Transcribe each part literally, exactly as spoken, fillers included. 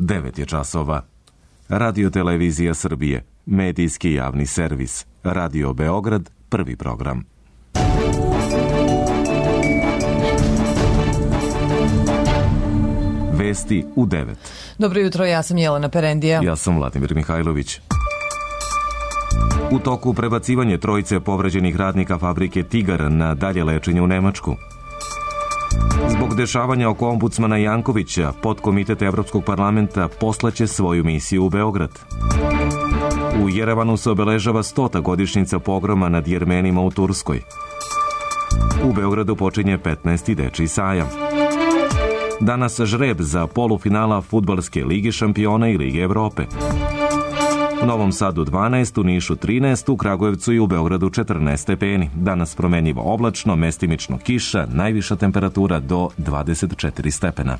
devet je časova. Radio Televizija Srbije, medijski javni servis. Radio Beograd, prvi program. Vesti u devet. Dobro jutro, ja sam Jelena Perendija. Ja sam Vladimir Mihajlović. U toku prebacivanje trojice povređenih radnika fabrike Tigar na dalje lečenje u Nemačku. Zbog dešavanja oko ombudsmana Jankovića, podkomitet Evropskog parlamenta poslaće svoju misiju u Beograd. U Jerevanu se obeležava stota godišnjica pogroma nad Jermenima u Turskoj. U Beogradu počinje petnaesti dečiji sajam. Danas žreb za polufinala Fudbalske lige šampiona i Lige Evrope. U Novom Sadu dvanaest, u Nišu trinaest, u Kragujevcu i u Beogradu četrnaest stepeni. Danas promenljivo oblačno, mestimično kiša, najviša temperatura do dvadeset četiri stepena.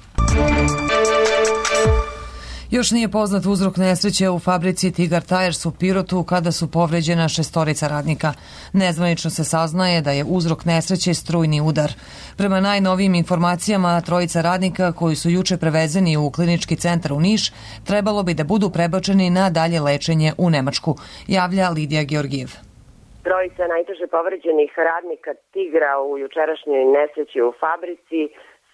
Još nije poznat uzrok nesreće u fabrici Tigar Tires u Pirotu kada su povređena šestorica radnika. Nezvanično se saznaje da je uzrok nesreće strujni udar. Prema najnovijim informacijama, trojica radnika koji su juče prevezeni u klinički centar u Niš trebalo bi da budu prebačeni na dalje lečenje u Nemačku, javlja Lidija Georgijev. Trojica najteže povređenih radnika Tigra u jučerašnjoj nesreći u fabrici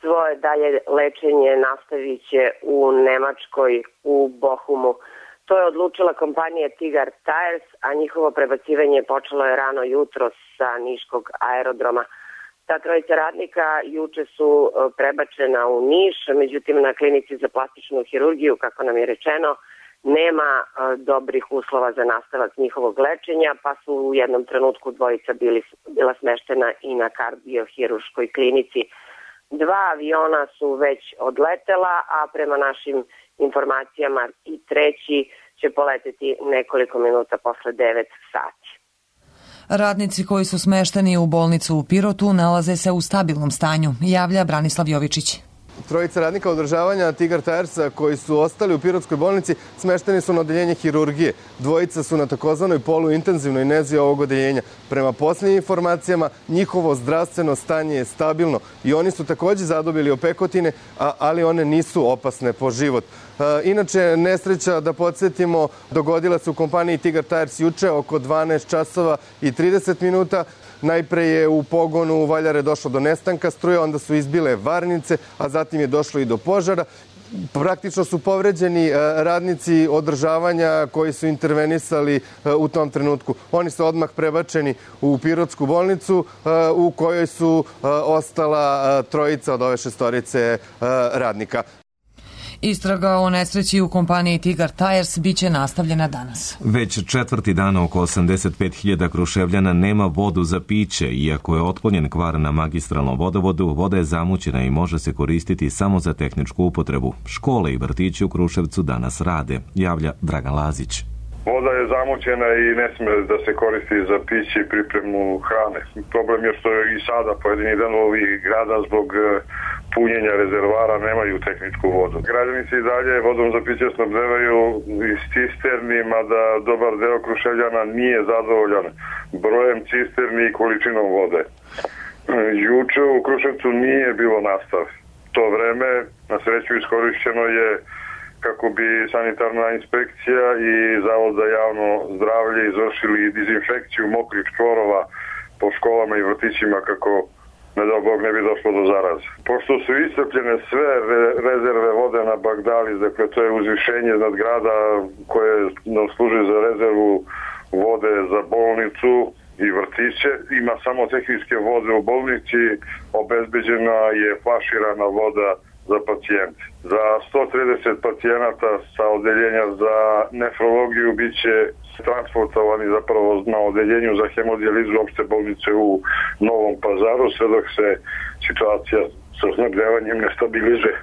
svoje dalje lečenje nastavit će u Nemačkoj, u Bochumu. To je odlučila kompanija Tigar Tires, a njihovo prebacivanje počelo je rano jutro sa niškog aerodroma. Ta trojica radnika juče su prebačena u Niš, međutim na klinici za plastičnu hirurgiju, kako nam je rečeno, nema dobrih uslova za nastavak njihovog lečenja, pa su u jednom trenutku dvojica bili, bila smeštena i na kardiohirurškoj klinici. Dva aviona su već odletela, a prema našim informacijama i treći će poleteti nekoliko minuta posle devet sati. Radnici koji su smešteni u bolnicu u Pirotu nalaze se u stabilnom stanju, javlja Branislav Jovičić. Trojica radnika održavanja Tigar Tiresa koji su ostali u Pirotskoj bolnici smešteni su na odeljenje hirurgije. Dvojica su na takozvanoj poluintenzivnoj nezi ovog odeljenja. Prema posljednjim informacijama, njihovo zdravstveno stanje je stabilno i oni su također zadobili opekotine, ali one nisu opasne po život. Inače, nesreća, da podsjetimo, dogodila se u kompaniji Tigar Tires juče oko dvanaest časova i trideset minuta. Najpre je u pogonu u Valjare došlo do nestanka struje, onda su izbile varnice, a zatim je došlo i do požara. Praktično su povređeni radnici održavanja koji su intervenisali u tom trenutku. Oni su odmah prebačeni u Pirotsku bolnicu u kojoj su ostala trojica od ove šestorice radnika. Istraga o nesreći u kompaniji Tigar Tires biće nastavljena danas. Već četvrti dan oko osamdeset pet hiljada Kruševljana nema vodu za piće. Iako je otklonjen kvar na magistralnom vodovodu, voda je zamućena i može se koristiti samo za tehničku upotrebu. Škole i vrtići u Kruševcu danas rade, javlja Dragan Lazić. Voda je zamućena i ne smije da se koristi za piće i pripremu hrane. Problem je što i sada pojedini delovi grada zbog punjenja rezervara nemaju tehničku vodu. Građani se i dalje vodom za piće snabdevaju iz cisterni, mada dobar deo Kruševljana nije zadovoljan brojem cisterni i količinom vode. Juče u Kruševcu nije bilo nastav. To vreme, na sreću, iskorišćeno je kako bi sanitarna inspekcija i Zavod za javno zdravlje izvršili dezinfekciju mokrih čvorova po školama i vrtićima kako, ne dao Bog, ne bi došlo do zaraze. Pošto su iscrpljene sve re- rezerve vode na Bagdali, dakle to je uzvišenje nad grada koje nam služi za rezervu vode za bolnicu i vrtiće, ima samo tehničke vode u bolnici, obezbeđena je flaširana voda za pacijente. Za sto trideset pacijenata sa odeljenja za nefrologiju bit će transportovani zapravo na odeljenju za hemodijalizu opšte bolnice u Novom Pazaru, sve dok se situacija sa snabdevanjem ne stabilizuje.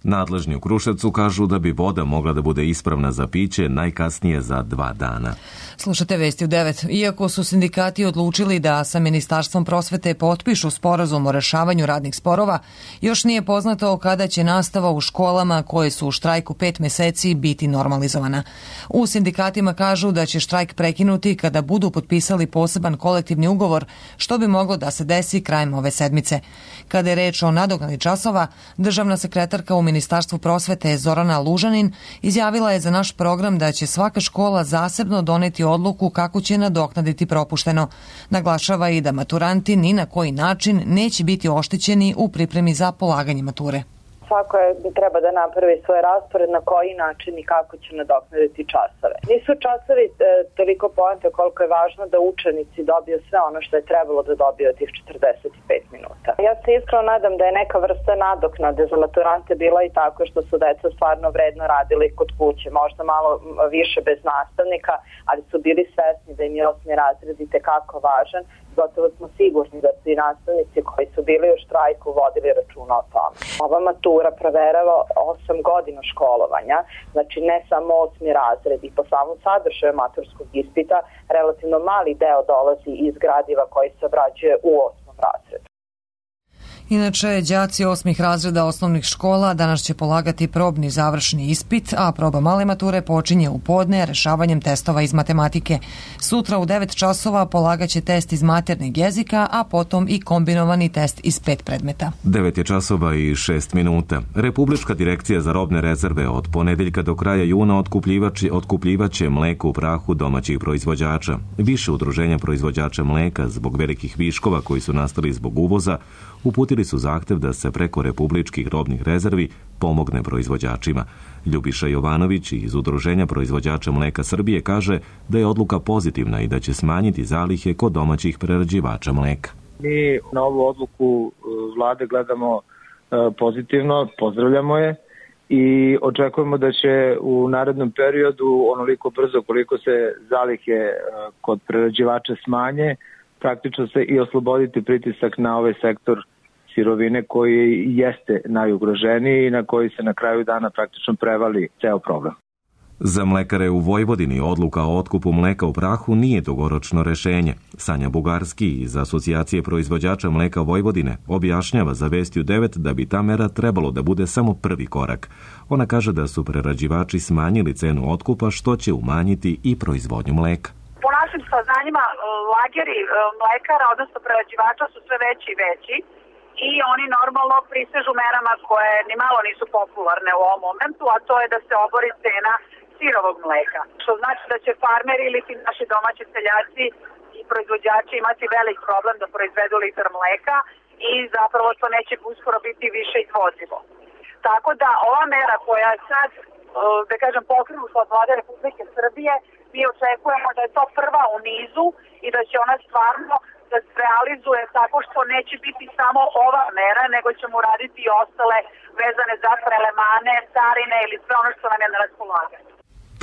Nadležni u Kruševcu kažu da bi voda mogla da bude ispravna za piće najkasnije za dva dana. Slušate Vesti u devet. Iako su sindikati odlučili da sa Ministarstvom prosvete potpišu sporazum o rešavanju radnih sporova, još nije poznato kada će nastava u školama koje su u štrajku pet meseci biti normalizovana. U sindikatima kažu da će štrajk prekinuti kada budu potpisali poseban kolektivni ugovor, što bi moglo da se desi krajem ove sedmice. Kada je reč o nadoknadi časova, državna sekretarka u Ministarstvu prosvete Zorana Lužanin izjavila je za naš program da će svaka škola zasebno doneti odluku kako će nadoknaditi propušteno. Naglašava i da maturanti ni na koji način neće biti oštećeni u pripremi za polaganje mature. Svako je, treba da napravi svoj raspored na koji način i kako će nadoknaditi časove. Nisu časovi e, toliko poenta koliko je važno da učenici dobiju sve ono što je trebalo da dobiju od tih četrdeset pet minuta. Ja se iskreno nadam da je neka vrsta nadoknade za maturante bila i tako što su deca stvarno vredno radili kod kuće, možda malo više bez nastavnika, ali su bili svesni da im je osmi razred i tekako važan. Gotovo smo sigurni da su i nastavnici koji su bili u štrajku vodili računa o tome. Ova matura proverava osam godina školovanja, znači ne samo osmi razred i po samom sadržaju maturskog ispita relativno mali deo dolazi iz gradiva koji se obrađuje u osmom razredu. Inače, đaci osmih razreda osnovnih škola danas će polagati probni završni ispit, a proba male mature počinje u podne rešavanjem testova iz matematike. Sutra u devet časova polagaće test iz maternjeg jezika, a potom i kombinovani test iz pet predmeta. devet je časova i šest minuta. Republička direkcija za robne rezerve od ponedeljka do kraja juna otkupljivači otkupljivaće mleko u prahu domaćih proizvođača. Više udruženja proizvođača mleka zbog velikih viškova koji su nastali zbog uvoza uputili su zahtev da se preko republičkih robnih rezervi pomogne proizvođačima. Ljubiša Jovanović iz Udruženja proizvođača mleka Srbije kaže da je odluka pozitivna i da će smanjiti zalihe kod domaćih prerađivača mleka. Mi na ovu odluku vlade gledamo pozitivno, pozdravljamo je i očekujemo da će u narednom periodu onoliko brzo koliko se zalihe kod prerađivača smanje, praktično se i osloboditi pritisak na ovaj sektor sirovine koji jeste najugroženiji i na koji se na kraju dana praktično prevali ceo problem. Za mlekare u Vojvodini odluka o otkupu mleka u prahu nije dugoročno rešenje. Sanja Bugarski iz Asocijacije proizvođača mleka Vojvodine objašnjava za Vestiju devet da bi ta mera trebalo da bude samo prvi korak. Ona kaže da su prerađivači smanjili cenu otkupa što će umanjiti i proizvodnju mleka. Po našim saznanjima, lageri mlekara, odnosno prerađivača su sve veći i veći i oni normalno prisežu merama koje ni malo nisu popularne u ovom momentu, a to je da se obori cena sirovog mleka. Što znači da će farmeri ili ti naši domaći seljaci i proizvođači imati velik problem da proizvedu litar mleka i zapravo to neće uskoro biti više izvozivo. Tako da ova mera koja je sad, da kažem, pokrenuta od Vlade Republike Srbije, mi očekujemo da je to prva u nizu i da će ona stvarno da se realizuje tako što neće biti samo ova mera, nego ćemo raditi i ostale vezane za prelemane, carine ili sve ono što nam je na raspolaganju.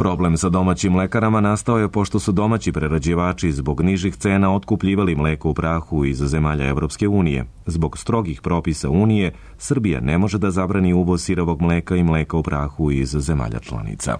Problem sa domaćim mlekarama nastao je pošto su domaći prerađivači zbog nižih cena otkupljivali mleko u prahu iz zemalja Evropske unije. Zbog strogih propisa Unije, Srbija ne može da zabrani uvoz sirovog mleka i mleka u prahu iz zemalja članica.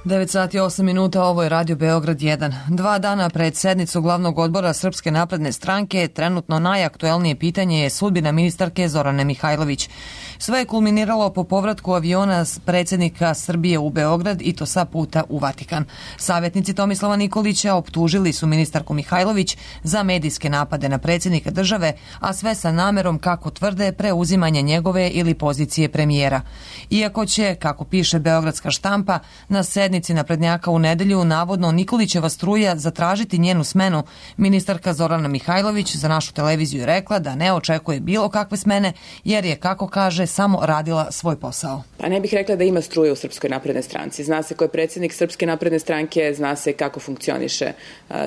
devet sati i osam minuta, ovo je Radio Beograd jedan. Dva dana pred sednicu glavnog odbora Srpske napredne stranke, trenutno najaktuelnije pitanje je sudbina ministarke Zorane Mihajlović. Sve je kulminiralo po povratku aviona predsjednika Srbije u Beograd i to sa puta u Vatikan. Savjetnici Tomislava Nikolića optužili su ministarku Mihajlović za medijske napade na predsjednika države, a sve sa namerom, kako tvrde, preuzimanje njegove ili pozicije premijera. Iako će, kako piše beogradska štampa, na sednici naprednjaka u nedelju navodno Nikolićeva struja zatražiti njenu smenu, ministarka Zorana Mihajlović za našu televiziju je rekla da ne očekuje bilo kakve smene, jer je, kako kaže, samo radila svoj posao. Pa ne bih rekla da ima struje u Srpskoj naprednoj stranci. Zna se ko je predsjednik Srpske napredne stranke, zna se kako funkcioniše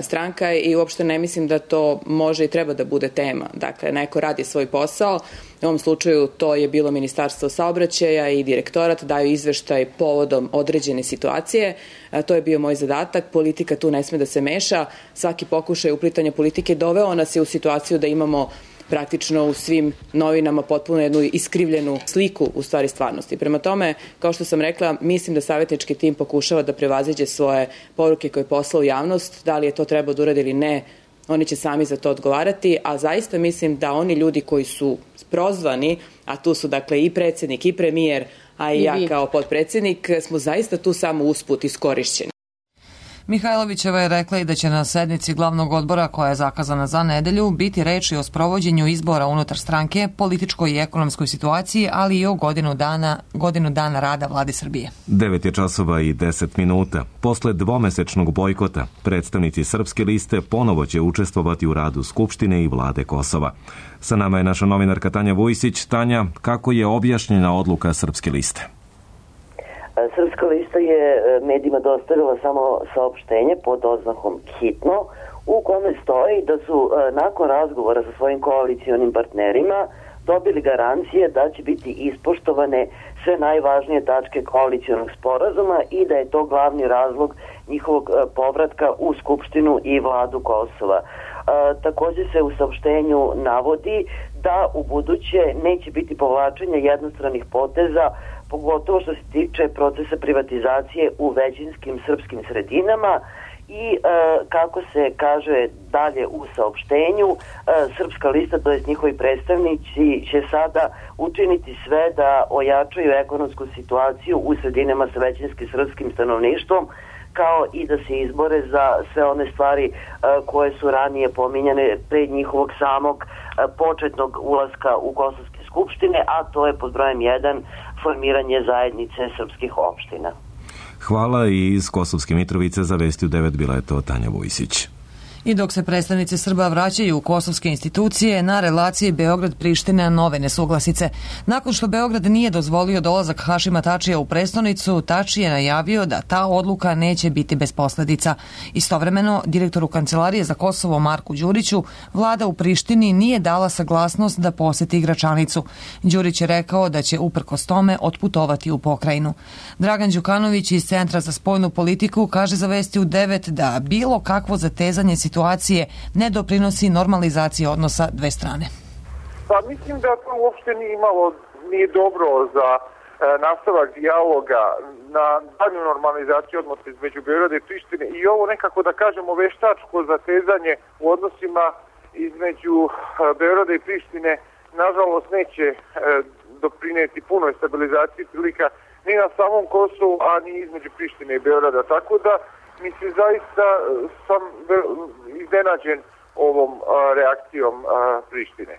stranka i uopšte ne mislim da to može i treba da bude tema. Dakle, neko radi svoj posao. U ovom slučaju to je bilo Ministarstvo saobraćaja i direktorat, daju izveštaj povodom određene situacije. To je bio moj zadatak. Politika tu ne sme da se meša. Svaki pokušaj uplitanja politike doveo nas je u situaciju da imamo praktično u svim novinama potpuno jednu iskrivljenu sliku u stvari stvarnosti. Prema tome, kao što sam rekla, mislim da savjetnički tim pokušava da prevaziđe svoje poruke koje je poslao u javnost. Da li je to trebao da uradi ili ne, oni će sami za to odgovarati, a zaista mislim da oni ljudi koji su prozvani, a tu su dakle i predsjednik i premijer, a i, I ja kao potpredsjednik, smo zaista tu samo usput iskorišćeni. Mihajlovićeva je rekla i da će na sednici glavnog odbora koja je zakazana za nedelju biti reči o sprovođenju izbora unutar stranke, političkoj i ekonomskoj situaciji, ali i o godinu dana, godinu dana rada vlade Srbije. devet je časova i deset minuta. Posle dvomesečnog bojkota, predstavnici Srpske liste ponovo će učestvovati u radu Skupštine i vlade Kosova. Sa nama je naša novinarka Tanja Vujsić. Tanja, kako je objašnjena odluka Srpske liste? Srpska lista je medijima dostavila samo saopštenje pod oznakom hitno, u kome stoji da su nakon razgovora sa svojim koalicionim partnerima dobili garancije da će biti ispoštovane sve najvažnije tačke koalicionog sporazuma i da je to glavni razlog njihovog povratka u Skupštinu i vladu Kosova. E, također se u saopštenju navodi da u buduće neće biti povlačenja jednostranih poteza, pogotovo što se tiče procesa privatizacije u većinskim srpskim sredinama i e, kako se kaže dalje u saopštenju, e, Srpska lista, to jest njihovi predstavnici, će sada učiniti sve da ojačaju ekonomsku situaciju u sredinama sa većinskim srpskim stanovništvom, kao i da se izbore za sve one stvari e, koje su ranije pominjane pre njihovog samog e, početnog ulaska u Kosovske skupštine, a to je pod brojem jedan formiranje zajednice srpskih opština. Hvala i iz Kosovske Mitrovice za Vesti u devet bila je to Tanja Vujsić. I dok se predstavnici Srba vraćaju u kosovske institucije, na relaciji Beograd-Priština nove nesuglasice. Nakon što Beograd nije dozvolio dolazak Hašima Tačija u prestonicu, Tači je najavio da ta odluka neće biti bez posledica. Istovremeno, direktoru Kancelarije za Kosovo Marku Đuriću, vlada u Prištini nije dala saglasnost da poseti Gračanicu. Đurić je rekao da će uprkos tome otputovati u pokrajinu. Dragan Đukanović iz Centra za spoljnu politiku kaže za Vesti u devet da bilo kakvo zatezanje situacije ne doprinosi normalizaciji odnosa dve strane. Pa mislim da to uopšte nije imalo, nije dobro za e, nastavak dijaloga na dalju normalizaciju odnosa između Beograda i Prištine i ovo nekako da kažemo veštačko zatezanje u odnosima između e, Beograda i Prištine nažalost neće e, doprineti punoj stabilizaciji prilika ni na samom Kosovu, a ni između Prištine i Beograda. Tako da mislim, zaista sam iznenađen ovom a, reakcijom a, Prištine.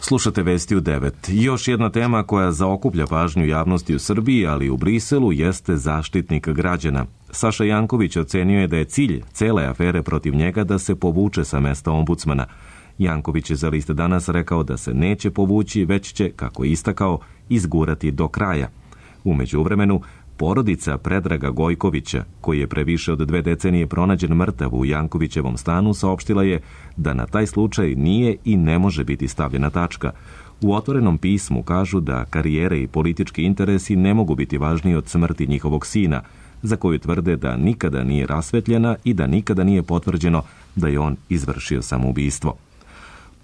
Slušate Vesti u devet. Još jedna tema koja zaokuplja pažnju javnosti u Srbiji, ali i u Briselu, jeste zaštitnik građana. Saša Janković ocenio je da je cilj cele afere protiv njega da se povuče sa mesta ombudsmana. Janković je za List danas rekao da se neće povući, već će, kako je istakao, izgurati do kraja. U međuvremenu, porodica Predraga Gojkovića, koji je pre više od dve decenije pronađen mrtav u Jankovićevom stanu, saopštila je da na taj slučaj nije i ne može biti stavljena tačka. U otvorenom pismu kažu da karijere i politički interesi ne mogu biti važniji od smrti njihovog sina, za koju tvrde da nikada nije rasvetljena i da nikada nije potvrđeno da je on izvršio samoubistvo.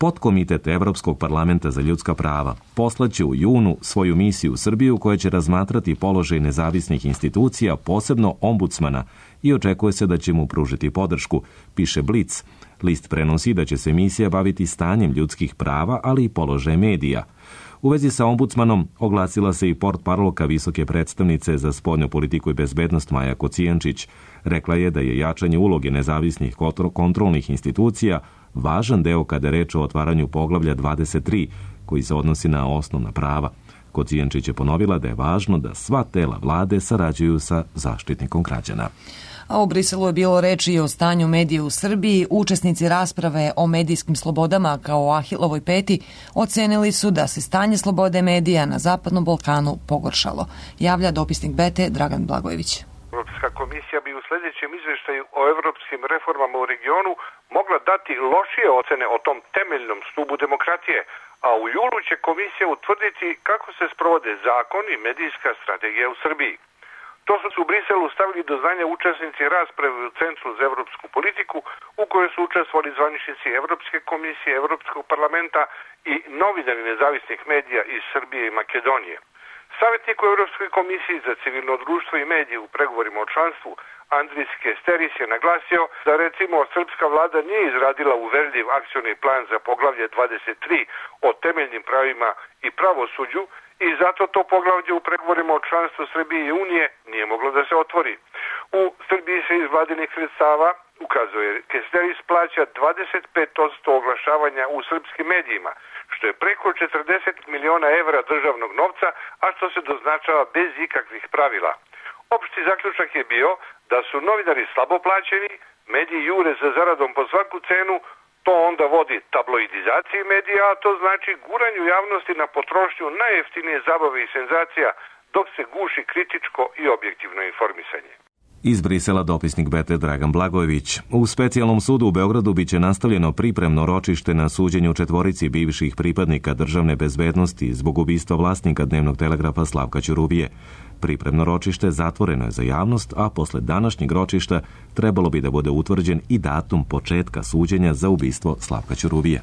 Podkomitet Evropskog parlamenta za ljudska prava poslaće u junu svoju misiju u Srbiju koja će razmatrati položaj nezavisnih institucija, posebno ombudsmana, i očekuje se da će mu pružiti podršku, piše Blic. List prenosi da će se misija baviti stanjem ljudskih prava, ali i položaj medija. U vezi sa ombudsmanom oglasila se i portparolka visoke predstavnice za spoljnu politiku i bezbednost Maja Kocijančić. Rekla je da je jačanje uloge nezavisnih kontrolnih institucija važan deo kada je reč o otvaranju poglavlja dvadeset tri, koji se odnosi na osnovna prava. Kocijančić je ponovila da je važno da sva tela vlade sarađuju sa zaštitnikom građana. A u Briselu je bilo reči i o stanju medija u Srbiji. Učesnici rasprave o medijskim slobodama kao o Ahilovoj peti ocenili su da se stanje slobode medija na Zapadnom Balkanu pogoršalo. Javlja dopisnik Bete Dragan Blagojević. Evropska komisija bi u sljedećem izveštaju o evropskim reformama u regionu mogla dati lošije ocene o tom temeljnom stubu demokratije, a u julu će komisija utvrditi kako se sprovode zakon i medijska strategija u Srbiji. To su u Briselu stavili do znanja učesnici rasprave u Centru za evropsku politiku, u kojoj su učestvovali zvaničnici Evropske komisije, Evropskog parlamenta i novinari nezavisnih medija iz Srbije i Makedonije. Savjetnik u Evropskoj komisiji za civilno društvo i medije u pregovorima o članstvu Andris Kesteris je naglasio da recimo srpska vlada nije izradila uverljiv akcioni plan za poglavlje dvadeset tri o temeljnim pravima i pravosuđu i zato to poglavlje u pregovorima o članstvu Srbije i Unije nije moglo da se otvori. U Srbiji se iz vladinih sredstava, ukazuje, Kesteris plaća dvadeset pet posto oglašavanja u srpskim medijima, što je preko četrdeset miliona evra državnog novca, a što se doznačava bez ikakvih pravila. Opšti zaključak je bio da su novinari slabo plaćeni, mediji jure za zaradom po svaku cenu, to onda vodi tabloidizaciji medija, a to znači guranju javnosti na potrošnju najjeftinije zabave i senzacija, dok se guši kritičko i objektivno informisanje. Iz Brisela dopisnik B T Dragan Blagojević. U specijalnom sudu u Beogradu biće nastavljeno pripremno ročište na suđenju četvorici bivših pripadnika državne bezbednosti zbog ubistva vlasnika dnevnog telegrafa Slavka Ćuruvije. Pripremno ročište zatvoreno je za javnost, a posle današnjeg ročišta trebalo bi da bude utvrđen i datum početka suđenja za ubistvo Slavka Ćuruvije.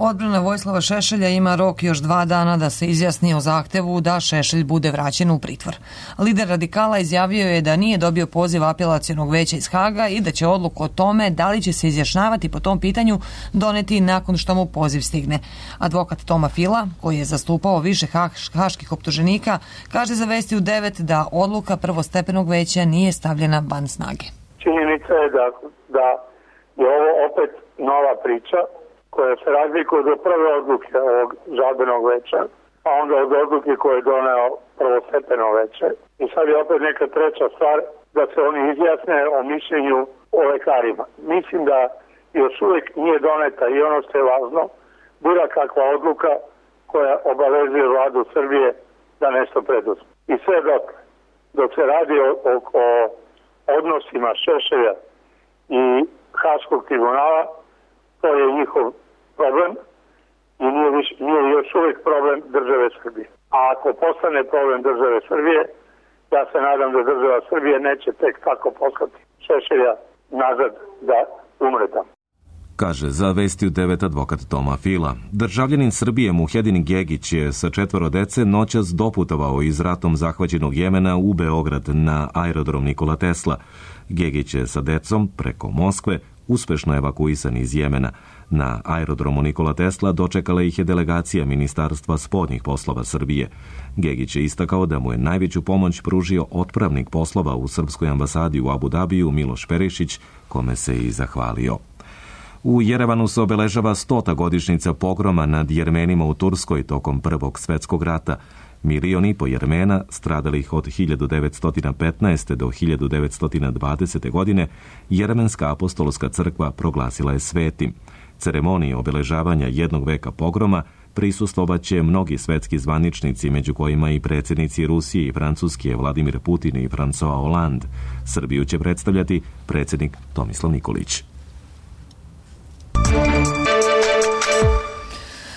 Odbrana Vojislava Šešelja ima rok još dva dana da se izjasni o zahtevu da Šešelj bude vraćen u pritvor. Lider radikala izjavio je da nije dobio poziv apelacionog veća iz Haga i da će odluku o tome da li će se izjašnjavati po tom pitanju doneti nakon što mu poziv stigne. Advokat Toma Fila, koji je zastupao više haških optuženika, kaže za Vesti u devet da odluka prvostepenog veća nije stavljena van snage. Činjenica je da, da je ovo opet nova priča koja se razlikuje od prve odluke ovog žalbenog veća, a onda od odluke koje je doneo prvostepeno veće. I sad je opet neka treća stvar da se oni izjasne o mišljenju o lekarima. Mislim da još uvijek nije doneta i ono što je važno, bila kakva odluka koja obavezuje vladu Srbije da nešto preduzme. I sve dok, dok se radi o, o, o odnosima Šešelja i Haškog tribunala, to je njihov problem i nije, viš, nije još uvijek problem države Srbije. A ako postane problem države Srbije, ja se nadam da država Srbije neće tek tako poslati Šešelja nazad da umre tamo. Kaže za Vesti u devet advokat Toma Fila. Državljanin Srbije Muhedin Gegić je sa četvoro dece noćas doputovao iz ratom zahvaćenog Jemena u Beograd na aerodrom Nikola Tesla. Gegić je sa decom preko Moskve uspešno evakuisan iz Jemena. Na aerodromu Nikola Tesla dočekala ih je delegacija Ministarstva spoljnih poslova Srbije. Gegić je istakao da mu je najveću pomoć pružio otpravnik poslova u srpskoj ambasadi u Abu Dabiju Miloš Perišić, kome se i zahvalio. U Jerevanu se obeležava stota godišnjica pogroma nad Jermenima u Turskoj tokom Prvog svetskog rata. Milion i po Jermena, stradalih od hiljadu devetsto petnaeste. do hiljadu devetsto dvadesete. godine, Jeremenska apostolska crkva proglasila je svetim. Ceremonije obeležavanja jednog veka pogroma prisustvovaće mnogi svetski zvaničnici, među kojima i predsjednici Rusije i Francuske Vladimir Putin i François Hollande. Srbiju će predstavljati predsjednik Tomislav Nikolić.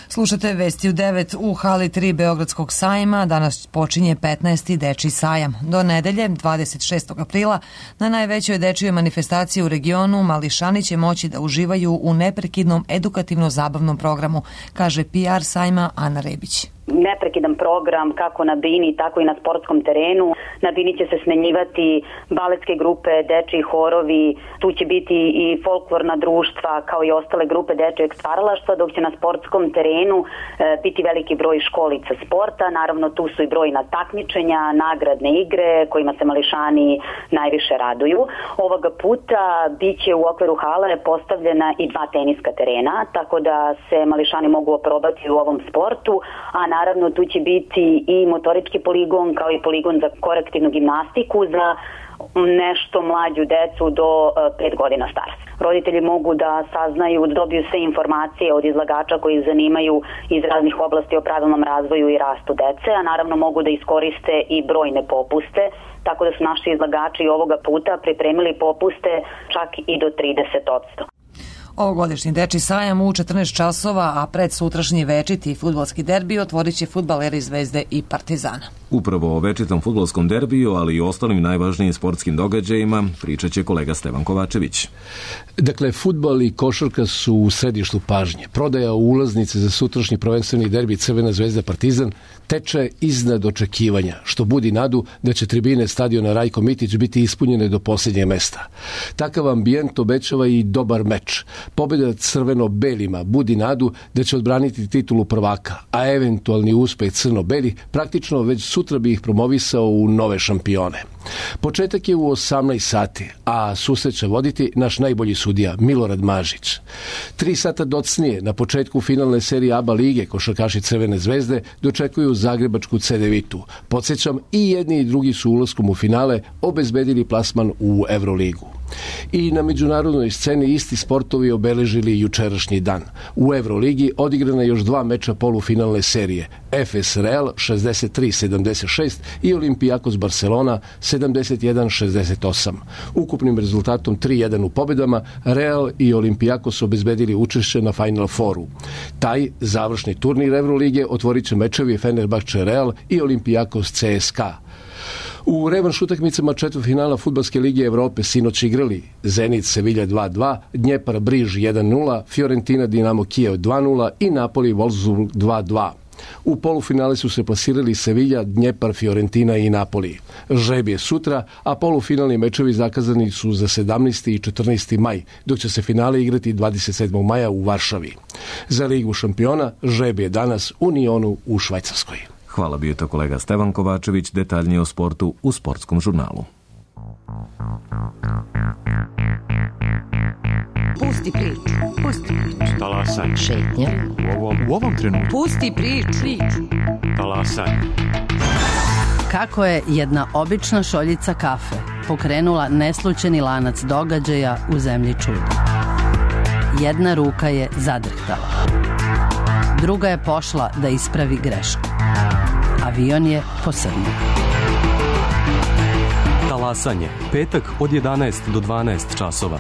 Slušate Vesti u devet. U hali tri Beogradskog sajma danas počinje petnaesti dečiji sajam. Do nedelje, dvadeset šestog aprila, na najvećoj dečijoj manifestaciji u regionu mališani će moći da uživaju u neprekidnom edukativno-zabavnom programu, kaže P R sajma Ana Rebić. Neprekidan program kako na bini, tako i na sportskom terenu. Na bini će se smenjivati baletske grupe, dečiji horovi, tu će biti i folklorna društva kao i ostale grupe dečijeg stvaralaštva, dok će na sportskom terenu e, biti veliki broj školica sporta. Naravno tu su i brojna takmičenja, nagradne igre kojima se mališani najviše raduju. Ovoga puta biće u okviru hale postavljena i dva teniska terena, tako da se mališani mogu oprobati u ovom sportu, a naravno tu će biti i motorički poligon kao i poligon za korektivnu gimnastiku za nešto mlađu decu do pet godina starosti. Roditelji mogu da saznaju, da dobiju sve informacije od izlagača koji ih zanimaju iz raznih oblasti o pravilnom razvoju i rastu dece, a naravno mogu da iskoriste i brojne popuste, tako da su naši izlagači ovoga puta pripremili popuste čak i do trideset posto. Ovogodišnji dečiji sajam u četrnaest časova, a pred sutrašnji večiti fudbalski derbi otvorit će fudbaleri Zvezde i Partizana. Upravo o večitom fudbalskom derbiju, ali i ostalim najvažnijim sportskim događajima pričat će kolega Stevan Kovačević. Dakle, fudbal i košarka su u središtu pažnje. Prodaja ulaznice za sutrašnji prvenstveni derbi Crvena Zvezda Partizan teče iznad očekivanja, što budi nadu da će tribine stadiona Rajko Mitić biti ispunjene do posljednjeg mesta. Takav ambijent obećava i dobar meč. Pobjeda crveno-belima budi nadu da će odbraniti titulu prvaka, a eventualni uspeh crno-beli praktično već sutra bi ih promovisao u nove šampione. Početak je u osamnaest sati, a susret će voditi naš najbolji sudija Milorad Mažić. Tri sata docnije, na početku finalne serije A B A lige, košarkaši Crvene zvezde dočekuju zagrebačku Cedevitu. Podsjećam, i jedni i drugi su ulaskom u finale obezbedili plasman u Evroligu. I na međunarodnoj sceni isti sportovi obeležili jučerašnji dan. U Evroligi odigrana još dva meča polufinalne serije. F S Real šezdeset tri sedamdeset šest i Olympiakos Barcelona sedamdeset jedan šezdeset osam. Ukupnim rezultatom tri jedan u pobedama Real i Olympiakos obezbedili učešće na Final Fouru. Taj završni turnir Evrolige otvorit će mečevi Fenerbahče Real i Olympiakos C S K A. U revanš utakmicama četvrtfinala Fudbalske lige Evrope sinoć igrali Zenit Sevilla dva dva, Dnjepar Briž jedan nula, Fiorentina Dinamo Kijev dva nula i Napoli Wolfsburg dva dva. U polufinale su se plasirali Sevilla, Dnjepar, Fiorentina i Napoli. Žreb je sutra, a polufinalni mečevi zakazani su za sedamnaesti i četrnaesti maj, dok će se finale igrati dvadeset sedmog maja u Varšavi. Za Ligu šampiona žreb je danas u Nionu u Švajcarskoj. Hvala, bio to kolega Stevan Kovačević, detaljnije o sportu u Sportskom žurnalu. Pusti priču, pusti priču. Talasaj. Šetnja. U ovom, u ovom trenutku. Pusti priču. Talasaj. Kako je jedna obična šoljica kafe pokrenula neslućeni lanac događaja u zemlji čuda. Jedna ruka je zadrhtala. Druga je pošla da ispravi grešku. Avion je posrnuo. Talasanje, petak od jedanaest do dvanaest časova.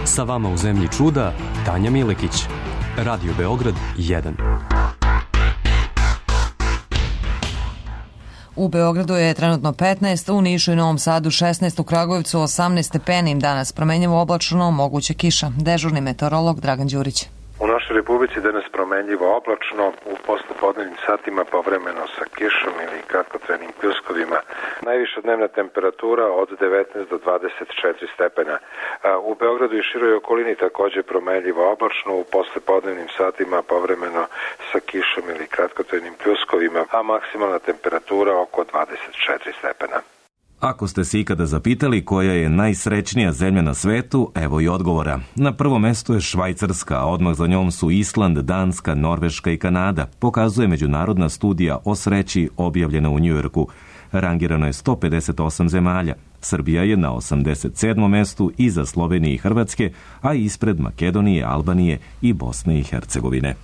Sa vama u zemlji čuda, Tanja Milekić. Radio Beograd jedan. U Beogradu je trenutno petnaest, u Nišu i Novom Sadu šesnaest, u Kragujevcu osamnaest stepeni. Danas promenljivo oblačno, moguće kiša. Dežurni meteorolog Dragan Đurić. U našoj Republici danas promenljivo oblačno, u poslepodnevnim satima povremeno sa kišom ili kratkotrenim pljuskovima. Najviša dnevna temperatura od devetnaest do dvadeset četiri stepena. U Beogradu i široj okolini takođe promenljivo oblačno, u poslepodnevnim satima povremeno sa kišom ili kratkotrenim pljuskovima, a maksimalna temperatura oko dvadeset četiri stepena. Ako ste se ikada zapitali koja je najsrećnija zemlja na svetu, evo i odgovora. Na prvom mestu je Švajcarska, a odmah za njom su Island, Danska, Norveška i Kanada, pokazuje međunarodna studija o sreći objavljena u Njujorku. Rangirano je sto pedeset osam zemalja. Srbija je na osamdeset sedmom mestu iza Slovenije i Hrvatske, a ispred Makedonije, Albanije i Bosne i Hercegovine.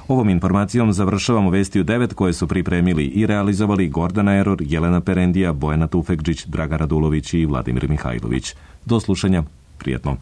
Ovom informacijom završavamo vesti u devet koje su pripremili i realizovali Gordana Eror, Jelena Perendija, Bojana Tufekđić, Draga Radulović i Vladimir Mihajlović. Do slušanja, prijetno.